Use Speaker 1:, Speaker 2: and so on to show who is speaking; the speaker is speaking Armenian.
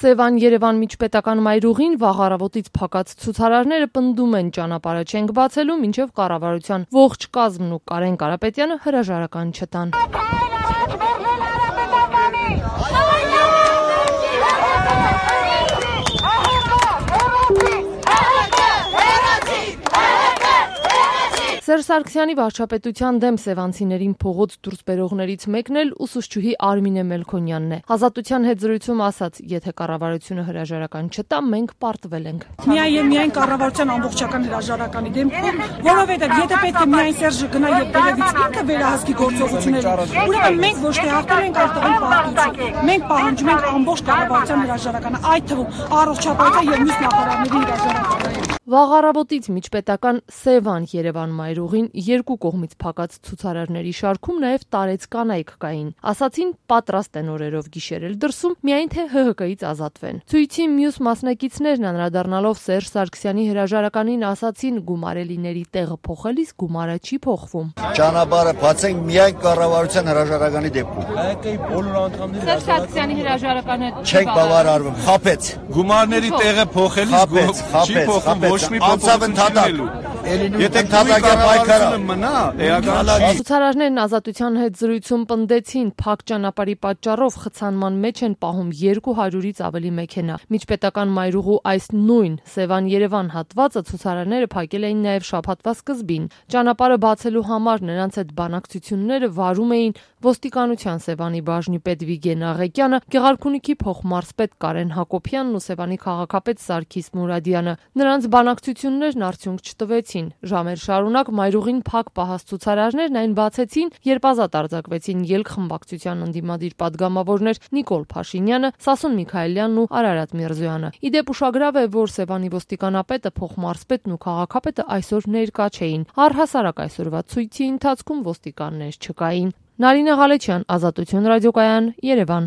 Speaker 1: Սևան Երևան միջպետական մայրուղին վաղ առավոտից փակած ցուցարարները պնդում են ճանապարհը չենք բացելու, մինչև կառավարության ողջ կազմն ու Կարեն Կարապետյանը հրաժարական չտան։ Սերժ Սարգսյանի վարչապետության դեմ սևանցիներին փողոց դուրս բերողներից մեկն էլ ուսուցչուհի Արմինե Մելքոնյանն է։ Ազատության հետ զրույցում ասաց, եթե կառավարությունը հրաժարական չտա, մենք պարտվել ենք։
Speaker 2: Միայն եւ միայն կառավարության ամբողջական հրաժարականի դեպքում, որովհետեւ եթե պետք է միայն Սերժը գնա եւ դերևից ինքը վերահսկի գործողությունները, ուրեմն մենք ոչ թե հաղթել ենք արտաքին պարտություն։ Մենք պահանջում ենք ամբողջ կառավարության հրաժարականը, այդ թվում առողջապահության եւ մյուս նախարարների հրաժարականը։
Speaker 1: Վաղ առավոտից միջպետական Սևան Երևան մայրուղին երկու կողմից փակած ցուցարարների շարքում նաև տարեց կանայք կային։ Ասացին պատրաստ են օրերով գիշերել դրսում, միայն թե ՀՀԿ-ից ազատվեն։ Ցույցի մյուս մասնակիցներն անդրադառնալով Սերժ Սարգսյանի հրաժարականին ասացին գումարելիների տեղը փոխելիս գումարը չի փոխվում։
Speaker 3: Ճանապարհը բացենք միայն կառավարության հրաժարականի դեպքում։
Speaker 4: ՀԿ-ի բոլոր անդամների
Speaker 1: Սերժ Սարգսյանի հրաժարականը
Speaker 3: չենք բավարարվում, խապեց։
Speaker 4: Գումարների տեղը փոխելիս չի փոխվում ոչ մի փոփոխություն։ Եթե ընդհանրական պայքարը մնա, էական
Speaker 1: ցուցարարներն ազատության հետ զրույցում պնդեցին փակ ճանապարհի պատճառով խցանման մեջ են պահում 200-ից ավելի մեքենա։ Միջպետական մայրուղու այս նույն Սևան-Երևան հատվածը ցուցարարները փակել էին նաև շաբաթվա սկզբին։ Ճանապարհը բացելու համար նրանց այդ բանակցությունները վարում էին ոստիկանության Սևանի բաժնի պետ Վիգեն Աղեկյանը, Գեղարքունիքի փոխմարզպետ Կարեն Հակոբյանն ու Սևանի քաղաքապետ Սարգիս Մուրադյանը։ Նրանց բանակցություններն արդյունք չտվեցին։ Ժամեր շարունակ մայրուղին փակ պահած ցուցարարներն այն բացեցին, երբ ազատ արձակվեցին ելք խմբակցության ընդդիմադիր падգամավորներ Նիկոլ Փաշինյանը, Սասուն Միքայելյանն ու Արարատ Միրզոյանը։ Իդեպ ուշագրավ է, որ Սևանի ոստիկանապետը, փոխմարզպետն ու քաղաքապետը այսօր ներկա չէին։ Առհասարակ այսօրվա ցույցի ընթացքում ոստիկաններ չկային։ Նարինե Ղալեչյան, Ազատություն ռադիոկայան, Երևան։